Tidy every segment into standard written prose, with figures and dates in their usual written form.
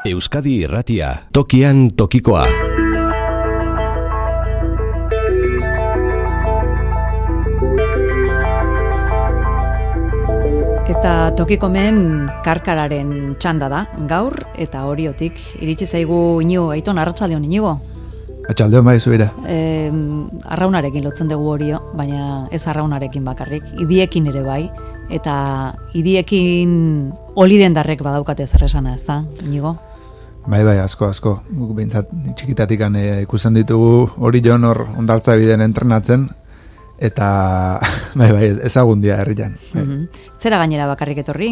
Euskadi Irratia, tokian tokikoa. Eta tokikomen karkararen txanda da, gaur eta Oriotik. Iritsi zaigu Inigo, Aiton, arratsaldeon Inigo. Atxaldeon bai zuira. Arraunarekin lotzen dugu Orio, baina ez arraunarekin bakarrik, idiekin ere bai, eta idiekin olidendarrek badaukate zer esana, ez da, Inigo? Bai, asko. Guk behintzat txikitatikan ikusten ditugu Orion hor ondartza bideen entrenatzen, eta bai, ezagun dia herrian. Zera gainera bakarrik etorri,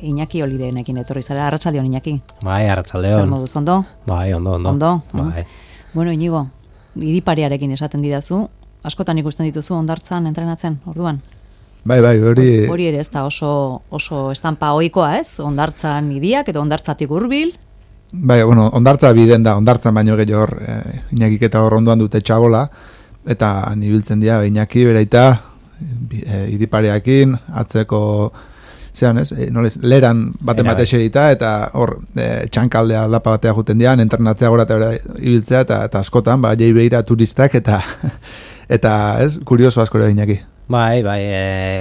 Iñaki Olideenekin etorri zara, arratsaldeon Iñaki. Bai, arratsaldeon. Zer moduz, ondo? Bai, ondo. Ondo? Bai. Bueno, Inigo, idipariarekin esaten didazu, askotan ikusten dituzu ondartzan entrenatzen, orduan? Bai, hori... Hori ere ez da oso estampa ohikoa ez, ondartzan idiak edo ondartzatik hurbil. Bai, bueno, ondartza biden da, ondartzan baino gehiago hor, Iñakik eta hor ondoan dute txabola, eta nibiltzen dira Iñaki beraita idipareakin, atzeko zean ez, leran bate segita, eta hor txankaldea aldapa batea juten dian, entrenatzea gora eta ibiltzea, eta askotan, jai behira turistak, eta ez, kurioso asko ere Iñaki. Bai,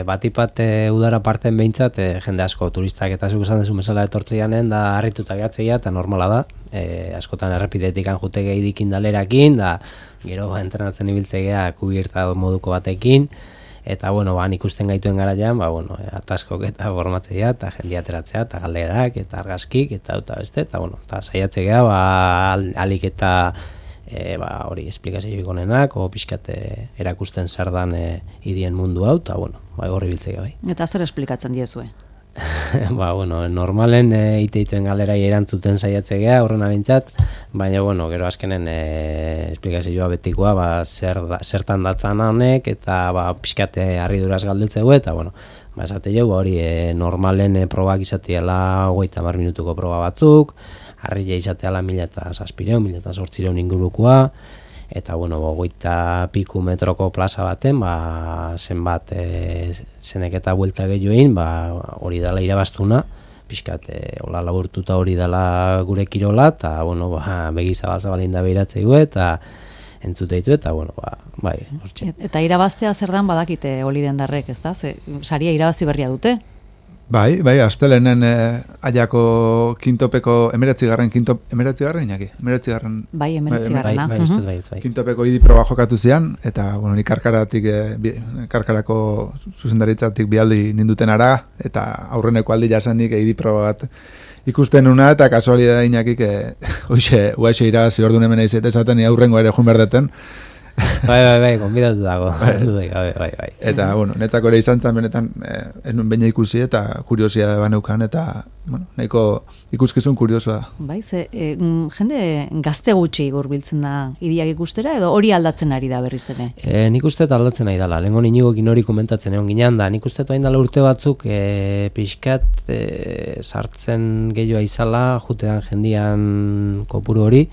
batipat udara parten behintzat, jende asko turistak eta zuk esan dezu mesala etortzeanen, da harrituta gehatzeia, eta normala da, askotan errepidetik jutege idikin dalerakin, da gero entrenatzen ibiltzegea kubierta moduko batekin, eta bueno, ikusten gaituen garaian, ataskok eta formatzea, eta jendia ateratzea, eta galderak, eta argazkik, eta beste, eta bueno, eta saiatzegea, alik eta hori esplikazioik onenak, o pixkat erakusten zer dan idien mundu hau, eta bueno, horri biltzea bai. Eta zer esplikatzen diezue? Normalen iteituen galerai erantzuten saiatzea horrena bintzat, baina gero azkenen esplikazioa betikoa zertan datzan honek, eta pixkat harriduraz galdetzegu, eta esate jau, hori normalen probak izateala 30 minutuko proba batzuk, harria izateala 1.700 ingurukoa, eta 20 piku metroko plaza baten, zenbat zenek eta buelta gehioin, hori dela irabaztuna, pixkat hola laburtuta hori dela gure kirola, eta begizabal-zabalin da behiratzeigu, eta entzuteitu, eta bai, hortxe. Eta irabaztea zer dan badakite Olidendarrek, ez da? Saria irabazi berria dute? Bai, astelenen aiako kintopeko, emeretzigarren, Iñaki? Emeretzigarren. Bai, emeretzigarrena. Kintopeko idiproba jokatu zian, eta, ni karkarako zuzendaritzatik bialdi ninduten ara, eta aurreneko aldi jasanik idiproba bat ikusten una, eta kasualidad Iñakik, uaixe irabazi orduan hemen eizeet esaten, aurrengo ere jun berdeten. Bai, konbidatu dago. Bai. Eta, netzako ere izan zen benetan, enun baina ikusi eta kuriosia baneukan, eta, nahiko ikuskizun kuriosoa da. Bai, jende gazte gutxi gurbiltzen da idiak ikustera, edo hori aldatzen ari da berriz ere? Nik uste aldatzen ari dela, lehenko Inigokin hori komentatzen egon ginean da, nik uste hain dela urte batzuk pixkat sartzen gehiagoa izala, jutean jendian kopuru hori,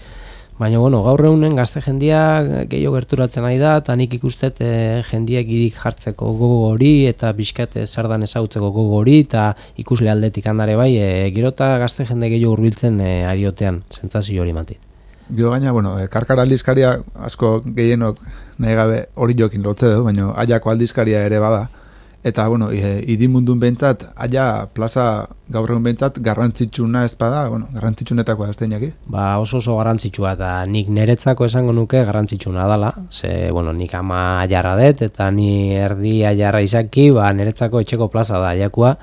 baina, gaur egunen gazte jendia gehiago gerturatzen ari da, eta nik ikustet jendiak idik jartzeko gogo hori, eta pixkat zardan ezagutzeko gogo hori, eta ikusle aldetik handare bai, gero eta gazte jende gehiago hurbiltzen ariotean, sentsazio hori matit. Gero gaina, karkara aldizkaria asko gehienok nahi gabe hori jokin lotze du, baina aiako aldizkaria ere bada. Eta, idimundun behintzat, aia plaza gaur egun behintzat garrantzitsuna ez bada, garrantzitsunetakoa ez da Iñaki? Oso garrantzitsua, eta nik niretzako esango nuke garrantzitsuna dela, nik ama aiarra dut, eta ni erdi aiarra izaki, niretzako etxeko plaza da aiakua,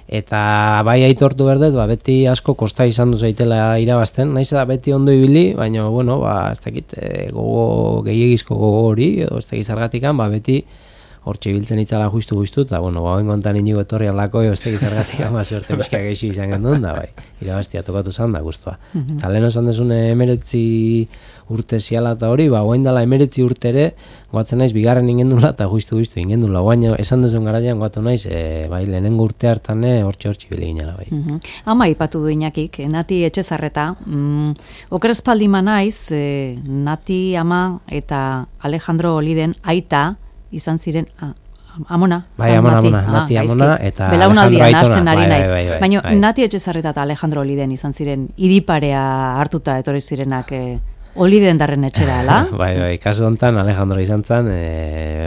eta bai aitortu berdet, beti asko kosta izan duzaitela irabazten, naiz da beti ondo ibili, baina, ez dakit, gogo gehiagizko gogo hori, edo ez dakit zargatikan, beti hortxe biltzen itzala justu, eta, hauen kontan Inigo etorri alako, ez tegiz ergatik ama suerte pixka geixi izan gendun, da, irabaztia tokatu zan da, guztua. Eta lehen osan desun 19 urte ziala eta hori, hauen dela 19 urtere, goatzen naiz, bigarren ingendula, eta justu ingendula, hauen esan desun garaian goatu naiz, lehenengo urte hartan hortxe bile ginela, bai. Ama ipatu du Iñakik, Nati Etxezarreta, okerespaldima naiz, Nati ama eta Alejandro Oliden aita, izan ziren Amona. Bai, San Amona, Mati. Nati Amona, eta belaunaldia Alejandro nahasten Aitona. ari naiz. Bai. Baina Bai. Nati Etxezarreta eta Alejandro Oliden izan ziren idiparea hartuta etorri zirenak Oliden darren etxera, ala? Bai, kasu hontan Alejandro izan zen,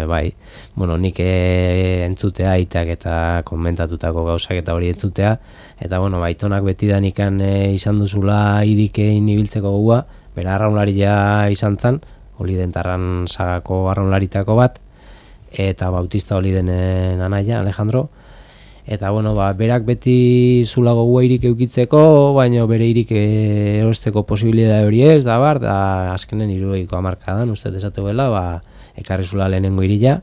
bai, bueno, nik entzutea aitak eta komentatutako gauzak eta hori entzutea, eta bueno, Aitonak betidanikan izan duzula idikein ibiltzeko gogoa, bera arraunlaria izan zen, Olidentarran sagako arraunlaritako bat, eta Bautista Olidenen anaia, Alejandro, eta bueno, berak beti zula gogoa irik eukitzeko, baina bere irik erosteko posibilidade hori ez, da azkenen 70ko hamarkadan, uste desatuela, ekarri zula lehenengo irila,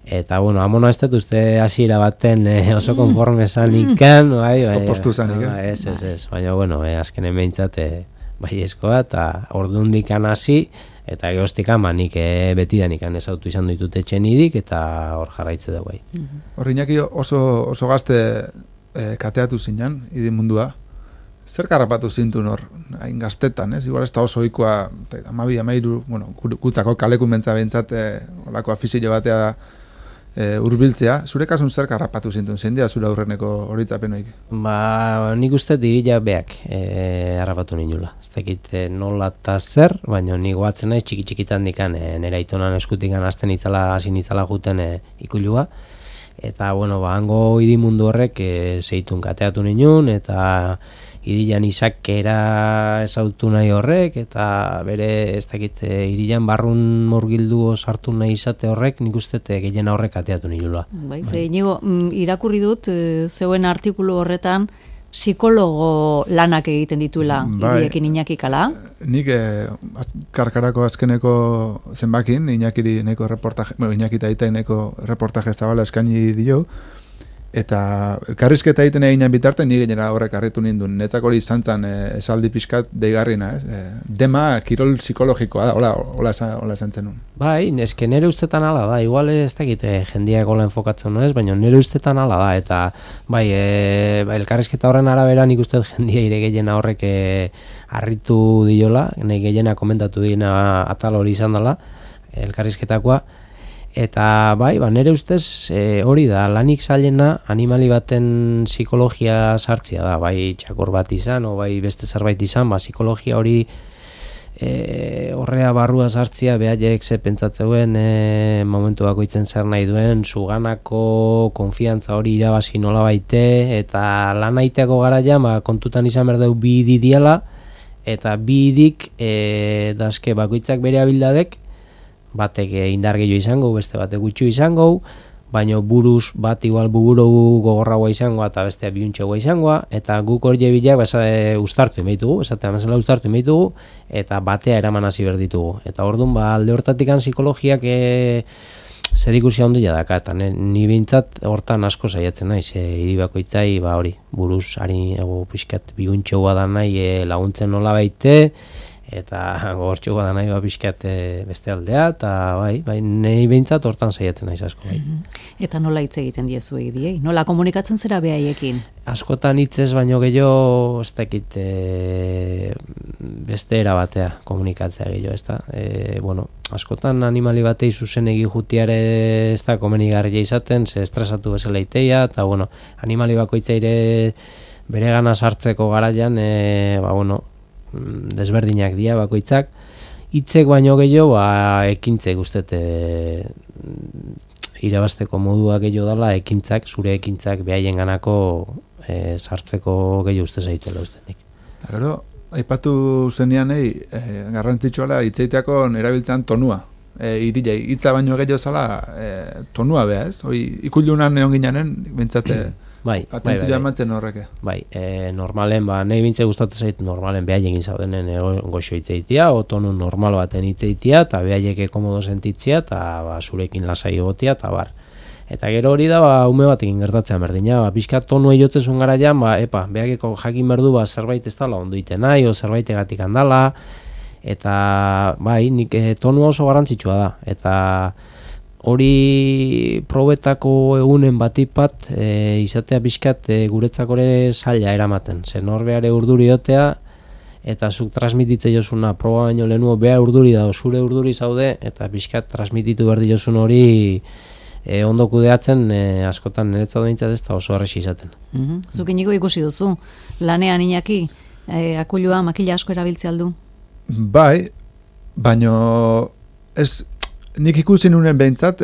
eta bueno, Amona ez dut uste hasiera baten oso konforme zanikan, bai, postu zanik, ez, baina bueno, azkenen behintzat baiezkoa, eta ordundikan hasi, eta geroztikan nik betidanikan ezautu izan ditut etxen idik, eta hor jarraitze dugu bai. Hor Iñaki oso gazte kateatu zinan, idi mundua. Zer karrapatu zintun hor, hain gaztetan, ez? Igual ez da oso ohikoa 12-13, bueno, kutzako kaleku mentza behintzat, olako afizio batea hurbiltzea. Zure kasun zer karrapatu zintun, zein dira zure aurreneko horitzapenoik? Nik uste dirila beak harrapatu ninula. Ez dakit nola eta zer, baina nik goatzen naiz txiki-txikitan dikan, nera Aitonan eskutikan hasten hasi nitzala juten ikulua. Eta, bueno, hango idimundu horrek zeitun kateatu ninun, eta idilan izakera ezautu nahi horrek, eta bere, ez dakit, irilan barrun murgildu sartu nahi izate horrek, nik uste gehien horrek kateatu ninula. Bai, Inigo, irakurri dut, zeuen artikulu horretan, psikologo lanak egiten dituela idiekin Iñakik, ala? Nik karkarako azkeneko zenbakin, Iñakiri neko reportaje, Iñaki eta Aita neko reportaje zabala eskaini dio, eta elkarrizketa egiten eginen bitarte ni gainera horrek harritu nindun. Netzak hori izan zen esaldi pixkat deigarrina, dema kirol psikologikoa da, hola esan zenun. Bai, eske nere ustetan ala da, igual ez dakit jendia egola enfokatzen nuen ez, baina nere ustetan ala da, eta bai, elkarrizketa horren arabera nik uste jendia ire gehiena horrek harritu diola, nahi gehiena komentatu dina atal hori izan dela, elkarrizketakoa. Eta bai, nere ustez hori da, lanik zailena animali baten psikologia sartzia da, bai txakor bat izan, o bai beste zerbait izan, psikologia hori horrea barrua sartzia, behaiek ze pentsatzeuen momentu bakoitzen zer nahi duen, zuganako konfiantza hori irabazi nola baite, eta lan aiteako garaian, kontutan izan berdeu bi didiala, eta bi idik dazke bakoitzak bere abildadek, batek indar gehiago izango, beste batek gutxu izango, baina buruz bat igual buburu gogorragoa izango eta bestea biuntxegoa izango, eta guk hori bilak ustartu emeitugu, esatean bezala ustartu emeitugu, eta batea eraman hasi berditugu. Eta orduan, alde hortatikan psikologiak zer ikusi handia daka, eta ni bintzat hortan asko saiatzen naiz, iribakoitzai hori, buruz, hari pixkat biuntxegoa da nahi laguntzen nola baite, eta gogortxoa da nahi pixkat beste aldea, eta bai, nahi behintzat hortan saiatzen naiz asko. Bai. Eta nola hitz egiten diezu egidiei? Nola komunikatzen zera behaiekin? Askotan hitzez baino gehiago, ez dakit beste era batea komunikatzea gehiago, ez da? Bueno, askotan animali batei zuzen egi jutiare ez da komenigarria izaten, ze estresatu bezala iteia, eta bueno, animali bakoitzaire bere gana sartzeko garaian, bueno, desberdinak dira bakoitzak, hitzek baino gehiago ekintzek ustet irabasteko modua gehiago dela, ekintzak, zure ekintzak behaien ganako sartzeko gehiago uste zaituela ustenik. Gero, aipatu zenian garrantzitsuala hitzeiteako erabiltzen tonua. Hitza baino gehiago zala tonua beha, ez? Ikulunan egon ginanen, bintzate atentzioa emantzen horreke. Bai, normalen, nahi bintze gustatzen zait normalen behaien izaudenen goxo hitzeitia, o tonu normal baten hitzeitia, eta behaieke komodo sentitzia, eta zurekin lasai egotia, eta bar. Eta gero hori da, ume batekin gertatzen berdina, pixka tonu eiotzezun garaian, behageko jakin berdu, zerbait ez dala ondo iten nahi, o zerbait egatik handala, eta bai, nik tonu oso garrantzitsua da, eta hori probetako egunen batipat izatea pixkat guretzakore zaila eramaten. Zer norbeare urduri dotea, eta zuk transmititze jozuna proba baino lehenuo beha urduri da, zure urduri zaude, eta pixkat transmititu berdi jozun hori ondo kudeatzen askotan niretzat behintzat ez da oso erresi izaten. Zuk Inigo ikusi duzu, lanean Iñaki, akulua makila asko erabiltze aldu? Bai, baino nik ikusi nunen behintzat,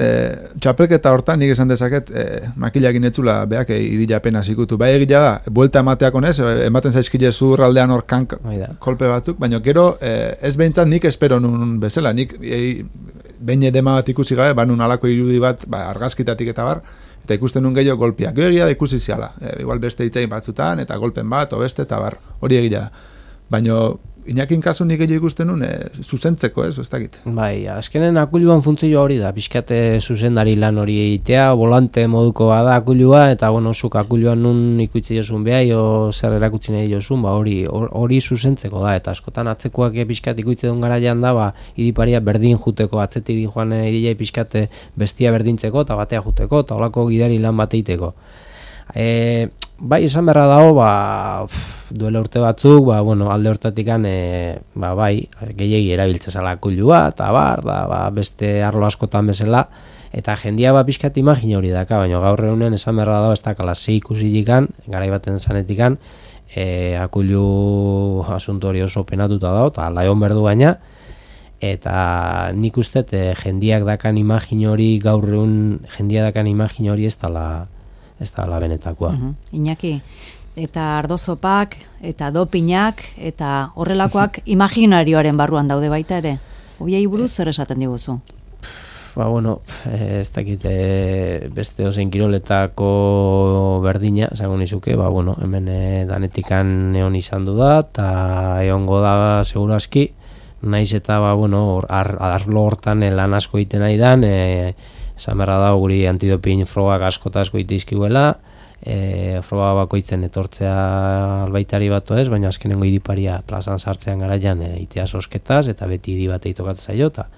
txapelketa hortan nik esan dezaket makilakin etzula beak idila apenas ikutu. Bai egia da, buelta emateak honez, ematen zaizkile zurraldean hor kolpe batzuk, baina gero ez behintzat nik espero nun bezala, nik behin edema bat ikusi gabe, banun alako irudi bat argazkitatik eta bar, eta ikusten nun gehiago golpiak. Gero egia da ikusi ziala, igual beste hitzain batzutan, eta golpen bat, o beste, eta bar, hori egia da. Baina Iñakin kasu nik gehiago ikusten nun, zuzentzeko, ez dakit. Bai, azkenen akuluan funtzioa hori da, pixkate zuzendari lan hori egitea, volante moduko bada akulua, eta bueno, zuk akuluan nun ikutzi jozun behai, o zer erakutsi nahi jozun, hori zuzentzeko da, eta askotan atzekoak pixkat ikutzi duen garaian da, idiparia berdin juteko, atzetik di joan idilei pixkate bestia berdintzeko, eta batea juteko, eta holako gidari lan bateiteko. Bai, esan berra dago, duela urte batzuk, alde hortatikan, bai, gehiegi erabiltzezala akulua, eta beste arlo askotan bezala, eta jendia pixkat imagina hori daka, baina gaur egunen esan berra dago, ez dakala zei ikusilikan, garai baten zanetikan, akulu asunto hori oso penatuta dago, eta laion berdu baina, eta nik uste jendiak dakan imagina hori, gaur egun jendia dakan imagina hori ez da benetakoa. Iñaki, eta ardozopak, eta dopinak, eta horrelakoak imaginarioaren barruan daude baita ere. Hoiei buruz zer esaten diguzu? Ez dakit beste ozein kiroletako berdina, esango nizuke, hemen danetikan egon izan du da, eta egongo da seguru aski, naiz eta arlo hortan lan asko egiten nahi dan, esan berra da guri antidopin frogak asko itizkiuela, froga bakoitzen etortzea albaitari batu ez, baina azkenengo idiparia plazan sartzean garaian itea sosketaz, eta beti idi bat eitokatzen zaio, eta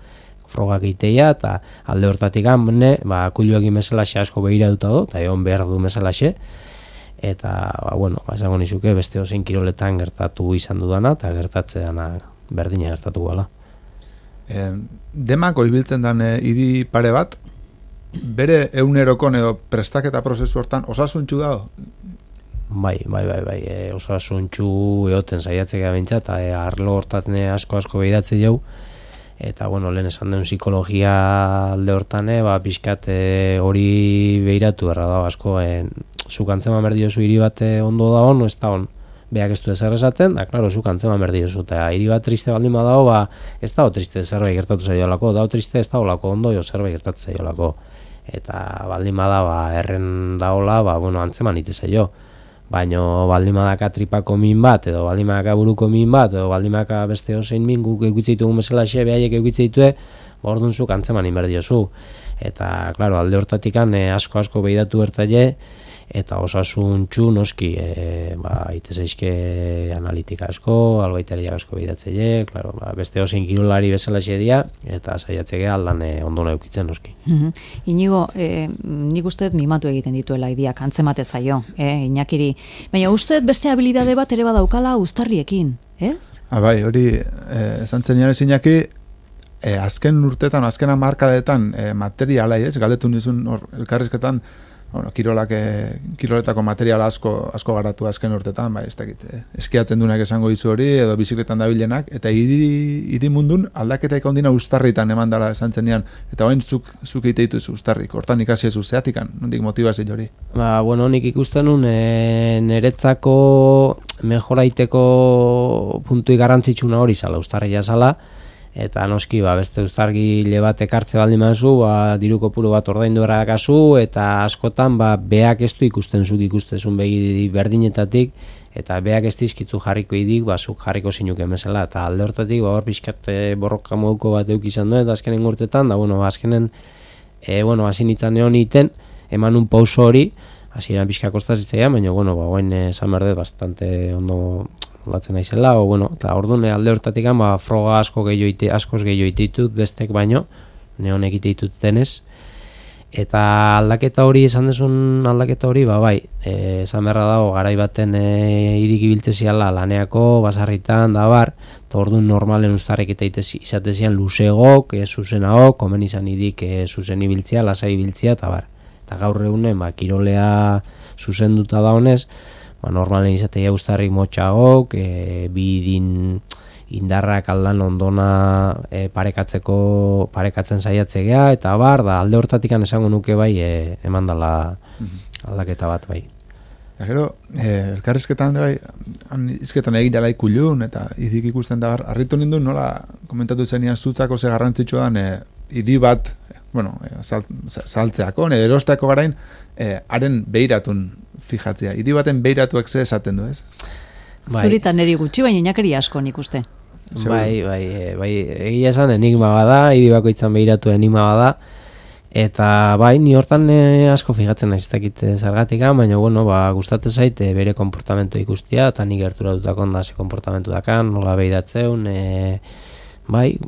frogak iteia, eta alde hortatik akuluak imezalaxe asko behiratuta du, eta egon behar du mesalaxe, eta, esango nizuke beste ozein kiroletan gertatu izan dudana, eta gertatzean berdina gertatu gala. Demako ibiltzen den idi pare bat, bere egunerokon edo prestaketa prozesu hortan osasuntxu dago? Bai, osasuntxu egoten saiatzea bintzat, eta arlo hortan asko behidatze jau, eta lehen esan den psikologia alde hortan, pixkat hori behiratu erra dago asko, zuk antzeman berdiozu hiri bat ondo da hon, ez da hon, beak ez du ezer esaten, da, klaro, zuk antzeman berdiozu, eta hiri bat triste baldin badago, ez dago triste zerbait gertatu zaiolako, dago triste ez dago lako ondo, zerbait gertatu zaiolako. Eta baldin bada erren daola, antzeman ite zaio. Baina baldin badaka tripako min bat, edo baldin badaka buruko min bat, edo baldin badaka beste ozein min guk eukitzeitugun bezala xe, behaiek eukitzeitue, orduan zuk antzeman inberdiozu. Eta, klaro, alde hortatikan asko behidatu bertzaile, eta osasuntxu noski itez eizke analitika asko, albaitariak asko behidatzeile, claro, beste ozein kirolari bezala xedia, eta saiatzeke aldan ondo neukitzen noski. Inigo, nik usteet mimatu egiten dituela idiak, antzemate zaio, Iñakiri. Baina usteet beste habilidade bat ere badaukala uztarriekin, ez? Bai, hori, esan zen janez Iñaki, azken urtetan, azken hamarkadetan materiala, galdetu nizun elkarrizketan, kiroletako material asko garatu azken urtetan, ez dakit, eskiatzen duenak esango izu hori, edo bizikletan dabilenak, eta idi mundun aldaketaik ondina uztarritan eman dela esan zenean, eta hoen zuk eiteituz uztarrik, hortan ikasi ezu zeatikan, nondik motibazio hori? Nik ikusten nun, niretzako mejoraiteko puntui garrantzitsuna hori zala, uztarria zala, eta noski beste uztargile bat ekartze baldin mazu, diru kopuru bat ordaindu errakazu, eta askotan beak ez du ikusten zuk ikustezun begi berdinetatik, eta beak ez dizkitzu jarriko idik, zuk jarriko zinuken bezala, eta alde hortatik hor pixkat borroka moduko bat euk izan duen, eta azkenen urtetan, azkenen hasi nintzen egon iten, eman un pauso hori, hasi eran pixka kostazitzaia, baina hoen esan berde bastante ondo latzen naizela, eta orduan alde hortatik froga askoz gehiago ititut bestek baino, neon egite ditut denez, Eta aldaketa hori, esan dezun aldaketa hori, bai, esan beharra dago, garai baten idik ibiltzeziala laneako, basarritan, da bar, eta orduan normalen ustarrek eta izatezian luzegok, zuzenagok, komen izan idik zuzen ibiltzea, lasai ibiltzea, eta bar. Eta gaur egunen, kirolea zuzenduta da honez, normalen izatea ustarrik motxagok, bidin indarrak aldan ondona parekatzen saiatzea, eta bar, da alde hortatik esango nuke bai, eman dala aldaketa bat bai. Eta gero, elkarrizketan bai, izketan egin jala ikulun, eta idik ikusten da, harritu nindun, nola komentatu zenian zutzako ze garrantzitsua dan, idi bat, saltzeako, erosteako garain, haren behiratun fijatzea. Idi baten behiratuak ze esaten du, ez? Zuritan neri gutxi, baina inakeri asko nik uste. Bai, egia esan enigma bada, idi bakoitzan behiratu enigma bada, eta bai, ni hortan asko fijatzen naiz, ez dakit zergatik, baina gustatzen zait bere konportamentu ikustia, eta nik gerturatutako onda ze konportamentu dakan, nola behiratzeun, bai,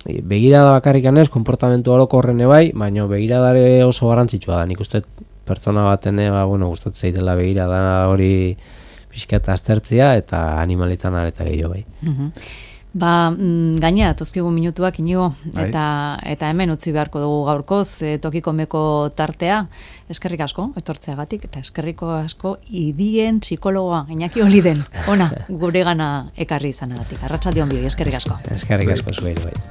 begirada bakarrikan ez, konportamentu orokorrene bai, baina begiradare oso garrantzitsua da, nik uste pertsona baten, gustatzen zaitela begirada hori pixkat aztertzea eta animalitan areta gehiago bai. Gainera, tozkigu minutuak inigo, eta hemen utzi beharko dugu gaurkoz, tokiko meko tartea, eskerrik asko, etortzeagatik, eta eskerriko asko idien psikologoa, Iñaki Oliden, ona, gure gana ekarri izanagatik. Arratsalde on bioi, eskerrik asko. Eskerrik asko zuei bai.